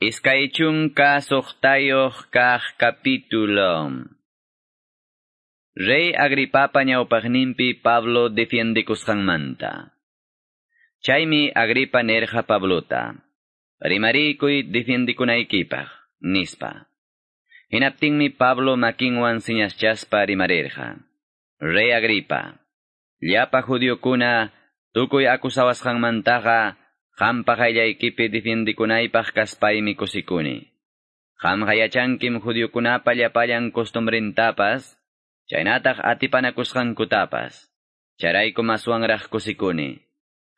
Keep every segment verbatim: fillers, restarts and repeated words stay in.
Iskay chunka suqtayuq kaq capítulo. Rey Agripapa ñawpaqninpi Pablo defiendikusqanmanta. Chaymi Agripa nerja Pablota. Rimarikuy defiendikunaykipaq, nispa. Hinaptinmi Pablo makinwan siñaschaspa rimarirqa. Rey Agripa, llapa judiokuna tukuy akusawasqanmantaqa qampa qayllaykipi defiendikunaypaq kaspaymi kusikuni. Qamqa yachankim judiokunapa llapallan costumbrintapas, chaynataq atipanakusqankutapas. Chayraykum aswanraq kusikuni.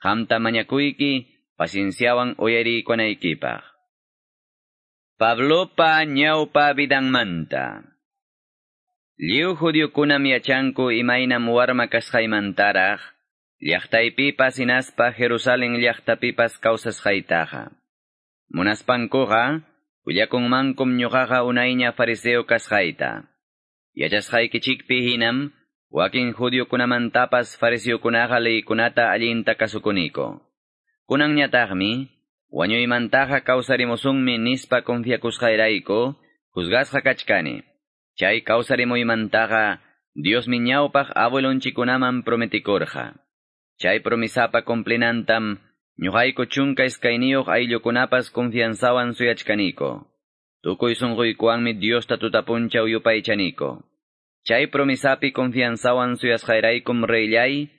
Qamta mañakuyki pacienciawan uyarikunaykipaq. Pablopa ñawpa vidanmanta. Lliw judiokunam yachanku imaynam warma kasqaymantaraq, llaqtaypipas hinaspa Jerusalén llaqtapipas kawsasqaytaqa. Munaspankuqa, willakunmankum ñuqaqa unayña fariseo kasqayta. Yachasqaykichikpi hinam, wakin judiokunamantapas fariseokunaqa leykunata allinta kasukuniko. Kunanñataqmi, wañuymantaqa kawsarimusunmi nispa confiakusqayrayku, juzgasqa kachkani. Chay kawsarimuymantaqa, Diosmi ñawpaq abuelonchikunaman prometikurqa. Chay promisapa cumplinantam, ñuqayku chunka iskayniyuq ayllukunapas confianzawan suyachkaniko. Tukuy sunquykuwanmi Diosta tutapunchaw yupaychaniko. Chay promisapi confianzawan suyasqayraykum reyllay,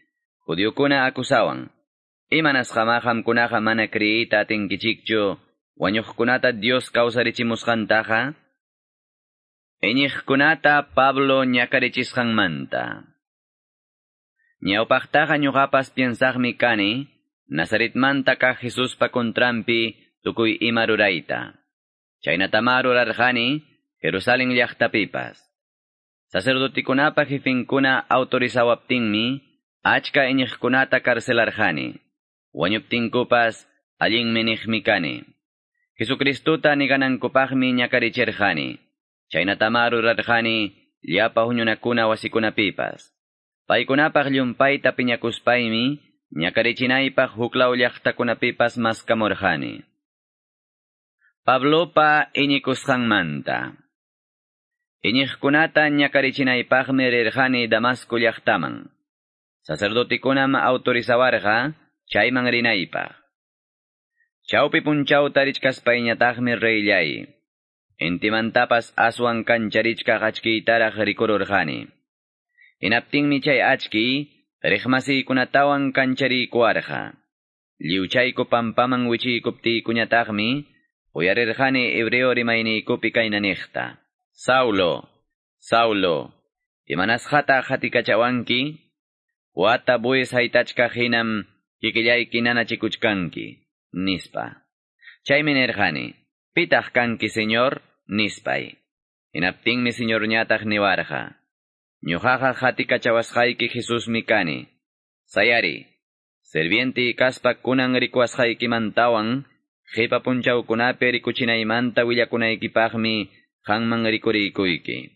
judiokuna akusawan. Imanasqamá qamkunaqa mana creeyta atinkichikchu, wañuqkunata Dios kawsarichimusqantaqa? Iñiqkunata Pablo ñakarichisqanmanta. Ñawpaqtaqa ñuqapas piensaqmi kani, Nazaretmanta kaq Jesuspa contranpi tukuy ima rurayta. Chaynatamá rurarqani Jerusalén llaqtapipas. Sacerdotikunapa jefinkuna autorizawaptinmi, achka iñiqkunata carcelarqani. Wañuptinkupas allinmi niqmi kani. Jesucristuta niganankupaqmi ñakarichirqani. Chaynatamá rurarqani llapa huñunakuna wasikunapipas. Paykunapaq llumpayta piñakuspaymi, ñakarichinaypaq huklaw llaqtakunapipas maskamurqani. Pablopa iñikusqanmanta. Iñiqkunata ñakarichinaypaqmi rirqani Damasco llaqtaman. Sacerdotikunam autorizawarqa chayman rinaypaq. Chawpi punchawta richkaspayñataqmi reyllay. Intimantapas aswan kancharichkaq achkiytaraq rikururqani. Hinaptinmi chay achki, riqmasiykunatawan kanchariykuwarqa. Lliwchayku pampaman wichiykuptiykuñataqmi, uyarirqani hebreo rimayniykupi kayna niqta. Saulo, Saulo, imanasqataq qatikachawanki? Wata bueyes haytachkaq hinam kikillayki nanachikuchkanki, nispa. Chaymi nirqani, pitaq kanki, Señor, nispay. Hinaptinmi Señorñataq niwarqa. Ñuqaqa qatikachawasqayki Jesusmi kani. Sayari, sirviente kaspa kunan rikuwasqaykimantawan, qipa punchawkunapi rikuchinaymanta willakunaykipaqmi qanman rikuriykuyki.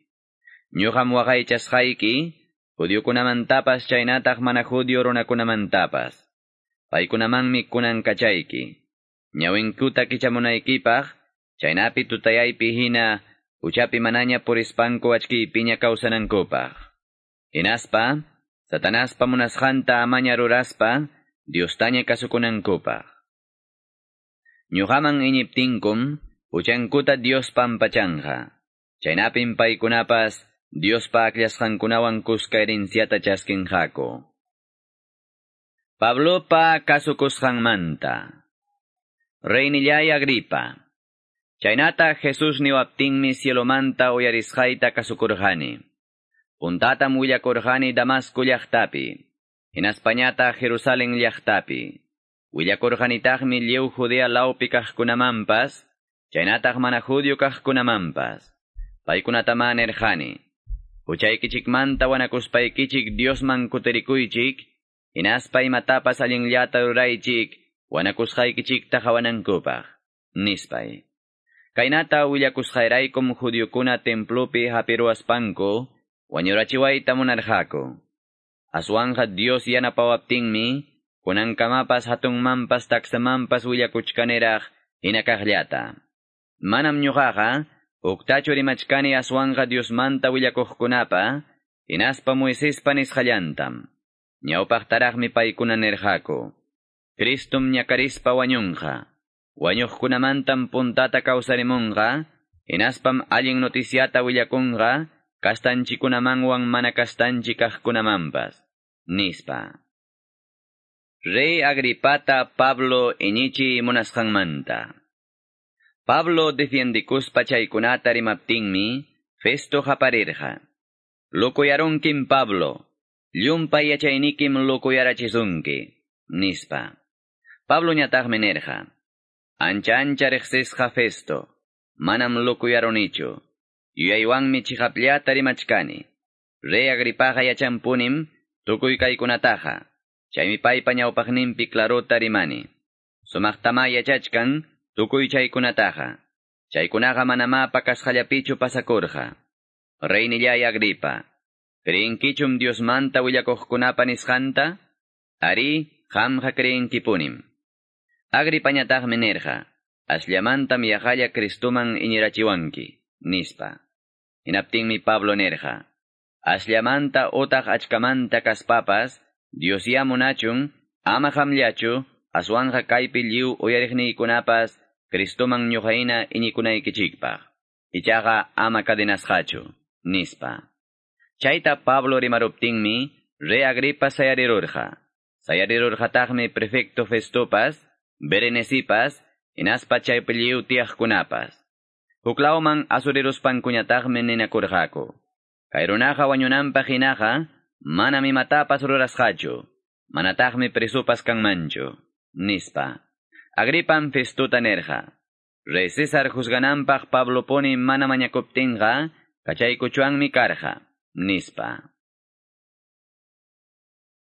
Ñuqam waqaychasqayki, judiokunamantapas chaynataq mana judio runakunamantapas. Paykunamanmi kunan kachayki. Ñawinkuta kichamunaykipaq, chaynapi tutayaypi hina, huchapi manaña purispanku achkiypiña kawsanankupaq. Hinaspa, Satanaspa munasqanta amaña ruraspa, Diostaña kasukunankupaq. Ñuqaman iñiptinkum, huchankuta Dios pampachanqa. Chaynapim paykunapas, Diospa akllasqankunawan kuska herenciata chaskinqaku. Pablopa kasukusqanmanta. Reynillay Agripa. Chaynata Jesús niwaptinmi cielomanta uyarisqayta kasukurqani. Puntatam willakurqani Damasco llaqtapi, hinaspañata Jerusalén llaqtapi. Willakurqanitaqmi lliw Judea lawpi kaqkunamanpas, chaynataq mana judio kaqkunamanpas. Paykunatamá nirqani. Huchaykichikmanta wanakuspaykichik Diosman kutirikuychik, hinaspa imatapas allinllata ruraychik, wanakusqaykichikta qawanankupaq, nispay. Kaynata willakusqayraykum judiokuna templopi hapiruwaspanku, wañurachiwayta munarqaku. Aswanqa Dios yanapawaptinmi, kunankamapas hatunmanpas taksamanpas willakuchkaniraq hinakaqllata. Manam ñuqaqa, huktachu rimachkani aswanqa Diosmanta willakuqkunapa, hinaspa Moisespa nisqallantam. Ñawpaqtaraqmi paykuna nirqaku. Cristum ñakarispa wañunqa. Wañuqkunamantam puntata kawsarimunqa, hinaspam allin noticiata willakunqa, kastanchikunamanwan mana kastanchik kaqkunamanpas, nispa. Rey Agripata Pablo iñichi munasqanmanta. Pablo defiendikuspa chaykunata rimaptinmi, Festo qaparirqa. Lokuyarunkim Pablo, llumpay yachaynikim lokuyarachisunki, nispa. Pablo ñataqmi nirqa. Ancha ancha riqsisqa Festo, manam lokuyarunichu. Yuyaywanmi chiqapllata rimachkani. Rey Agripaqa yachanpunim tukuy kaykunataqa. Chaymi paypa ñawpaqninpi clarota rimani. Sumaqtama yachachkan tukuy chaykunataqa. Chaykunaqa manamá pakasqallapichu pasakurqa. Reynillay Agripa, ¿creenkichum Diosmanta willakuqkunapa nisqanta? Ari, qamqa creenkipunim. Agripañataqmi nirqa, asllamantam yaqalla Cristuman iñirachiwanki, nispa. Hinaptinmi Pablo nirqa, asllamanta utaq achkamanta kaspapas, Dios ya munachun, ama qamllachu, aswanqa kaypi lliw uyariqniykunapas, Cristuman ñuqayna iñikunaykichikpaq. Ichaqa ama cadenasqachu, nispa. Chayta Pablo rimaruptinmi, Rey Agripa sayarirurqa. Sayarirurqataqmi prefecto Festopas, Berenecipas, hinaspa chaypi lliw tiyaqkunapas. Huklawman asuriruspankuñataqmi ninakurqaku. Kay runaqa wañunanpaq hinaqa, manam imatapas rurasqachu, manataqmi presopas kanmanchu, nispa. Agripam Festuta nirqa. Rey César juzgananpaq Pablo puni mana mañakuptinqa, kachaykuchwanmi karqa, nispa.